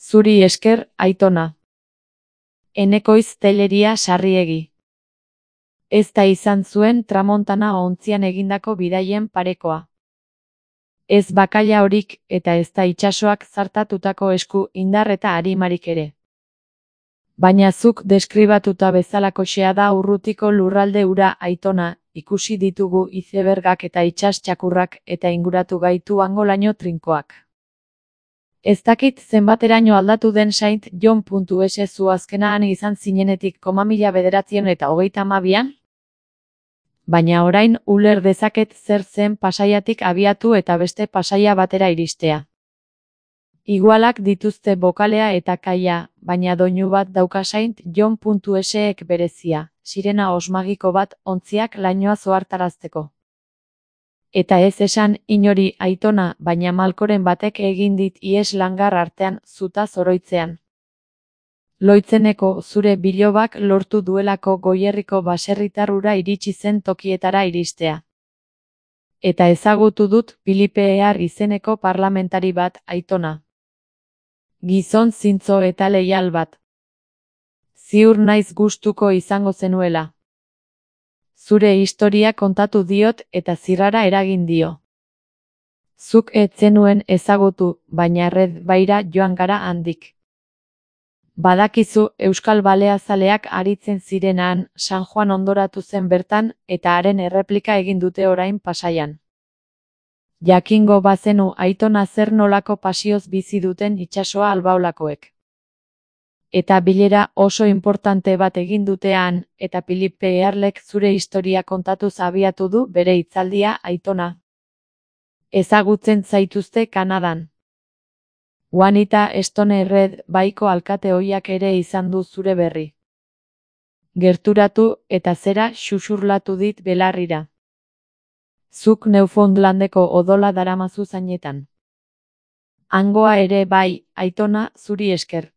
Zuri esker, Aitona. Enekoiz Telleria Sarriegi. Ez da izan zuen tramontana ontzian egindako bidaien parekoa. Ez bakaila horik eta ez da itsasoak zartatutako esku indar eta arimarik ere. Baina zuk deskribatuta bezalakoxea da urrutiko lurralde hura, Aitona, ikusi ditugu izebergak eta itsas txakurrak eta inguratu gaitu hangolaino trinkoak. Ez dakit zenbateraino aldatu den Saint John.es zu azkenean izan zinenetik 1932an? Baina orain uler dezaket zer zen Pasaiatik abiatu eta beste Pasaia batera iristea. Igualak dituzte bokalea eta kaia, baina doinu bat dauka Saint John.esek berezia, sirena osmagiko bat ontziak lainoa zohartarazteko. Eta ez esan inori, Aitona, baina malkoren batek egin dit ihes langar artean zuta zoroitzean. Loitzeneko zure bilobak lortu duelako Goierriko baserritar hura iritsi zen tokietara iristea. Eta ezagutu dut Filipe Ehar izeneko parlamentari bat, Aitona. Gizon zintzo eta leial bat. Ziur naiz gustuko izango zenuela. Zure historia kontatu diot eta zirrara eragin dio. Zuk ez zenuen ezagutu, baina Red Baira joan gara handik. Badakizu Euskal Baleazaleak aritzen zirenan, San Juan ondoratu zen bertan, eta haren erreplika egin dute orain Pasaian. Jakingo bazenu, Aitona, zer nolako pasioz bizi duten itsasoa albaolakoek. Eta bilera oso importante bat egin dutean, eta Filipe Eharlek zure historia kontatuz abiatu du bere hitzaldia, Aitona. Ezagutzen zaituzte Kanadan. Juanita Stone Red Baiko alkate ohiak ere izan du zure berri. Gerturatu eta zera xuxurlatu dit belarrira. Zuk Newfoundlandeko odola daramazu zainetan. Hangoa ere bai, Aitona, zuri esker.